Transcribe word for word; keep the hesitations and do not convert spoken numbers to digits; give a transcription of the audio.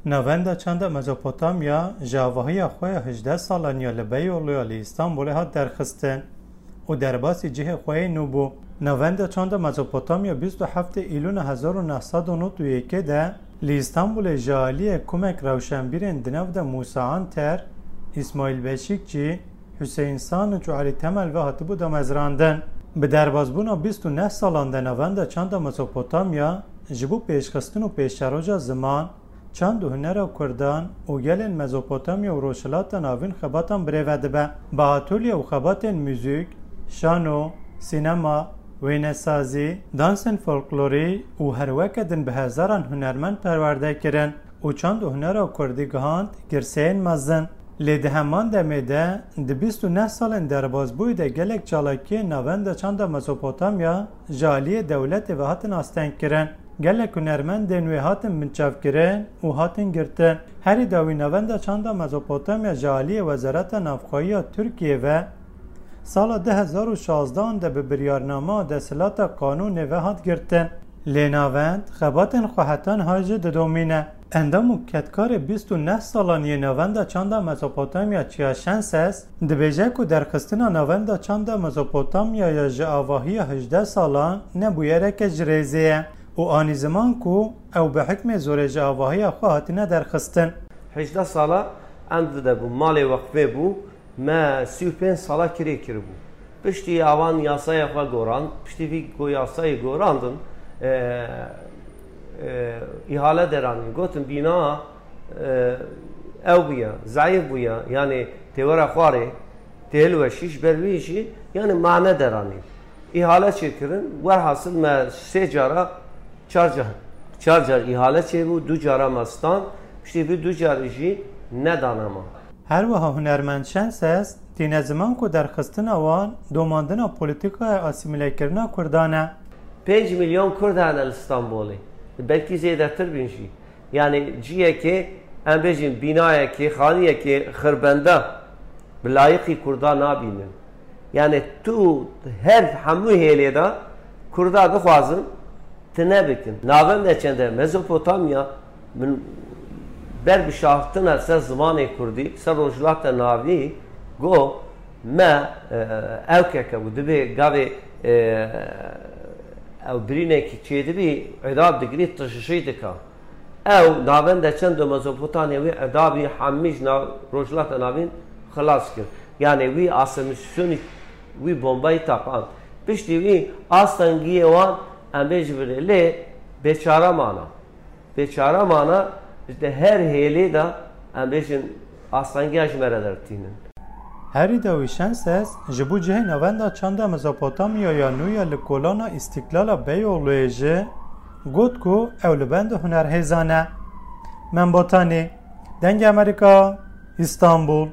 Navenda çanda Mezopotamya ji avahiya xwe ya hejdeh salan ya li Beyoğlu ya li Îstanbulê hat derxistin û derbasî cihê xwe yê nû bû. Navenda çanda Mezopotamya bîst û heftê Îlûna hezar û neh sed û nod û yekê de li Îstanbulê ji aliyê kumek rewşenbîrên di nav de Musa Anter, Îsmaîl Beşîkçî, Hüseyin Sanıç û Elî Temel ve hatibû damezrandin. Bi derbasbûna bîst û neh salan de Navenda çanda Mezopotamya ji bo pêşxistin û pêşeroja ziman, çand û hunera Kurdan û gelên Mezopotamya û Rojhilata Navîn xebatan birêve dibe. Bi atolye û xebatên muzîk, şano, sînema, wênesazî, dansên folklorî û her weke din bi hezaran hunermend perwerde kirin û çand û hunera Kurdî gihand girseyên mezin. Lê di heman demê de, di bîst û neh salên derbasbûyî de gelek çalakiyên navenda çanda Mezopotamya ji aliyê dewletê ve hatin astengkirin. Gelek hunermendên wê hatin binçavkirin û hatin girtin. Herî dawî navenda çanda Mezopotamya ji aliyê Wezareta Navxweyî ya Tirkiyê ve sala du hezar û şazdehan de bi biryarnama desthilata qanûnê ve hat girtin. Lê navend xebatên xwe heta niha jî didomîne. Endam û kedkarê bîst û neh salan yê Navenda Çanda Mezopotamya Çiya Şenses dibêje ku derxistina Navenda Çanda Mezopotamyaya ji avahiya hejdeh salan ne bûyereke ji rêzê ye û anî ziman ku ew bi hikmê zorê ji avahiya xwe hatine derxistin. Hejdeh sala em dide bû, malê weqfê bû, me sî û pênc sala kirê kiribû. Piştî awan yasaya xwe goran, piştî vî ku yasayê gorandin, e, e, îhale deranîn. Gotin bîna, e, ew bûye, zayîf bûye, yanî têwera xwarê, têhilweşî, ji ber wî jî, yanî mane deranîn. Îhale çêkirin, werhasil me sê cara, çar car, çar car îhale çêbû, du cara me stand, piştî vî du carî jî nedane me. Her wiha hunermend Şenses tîne ziman ku derxistina wan domandina polîtîkaya asîmîlekirina Kurdan e. Pênc milyon Kurd hene li Stenbolê. Belkî zêdetir bîn jî. Yanî ciyekê, em bêjin bînayekê, xaniyekê xirbenda bi layiqî Kurda nabînin. Yanî tu her hemû hêlê de Kurda dixwazin, tine bikin. Navenda çanda Mezopotamya, min ber bişaftina ser zimanê Kurdî, ser Rojhilata Navî, got, me, e, ew keke bû, dibê gavê, e, ew birînekî çêdibî, îdab digirî, tişişî dika. Ew navenda çanda Mezopotamya wî îdabî hemî ji nav Rojhilata Navîn xilas kir. Yanî wî asimilasyonî wî bombayî taqand. Piştî wî astengiyê wan em bê ji virê lê bêçare mana. Bêçare mana, işte her hêlê de em bêjin astengiya ji me re dertînin. Herî dawî Şenses ji bo cihê navenda çanda Mezopotamyaya nû ya li kolana Îstiklala Beyoğlu'yê jî got ku ew li benda hunerhêzan e. Membotanî, Dengê Amerîka, Îstanbul.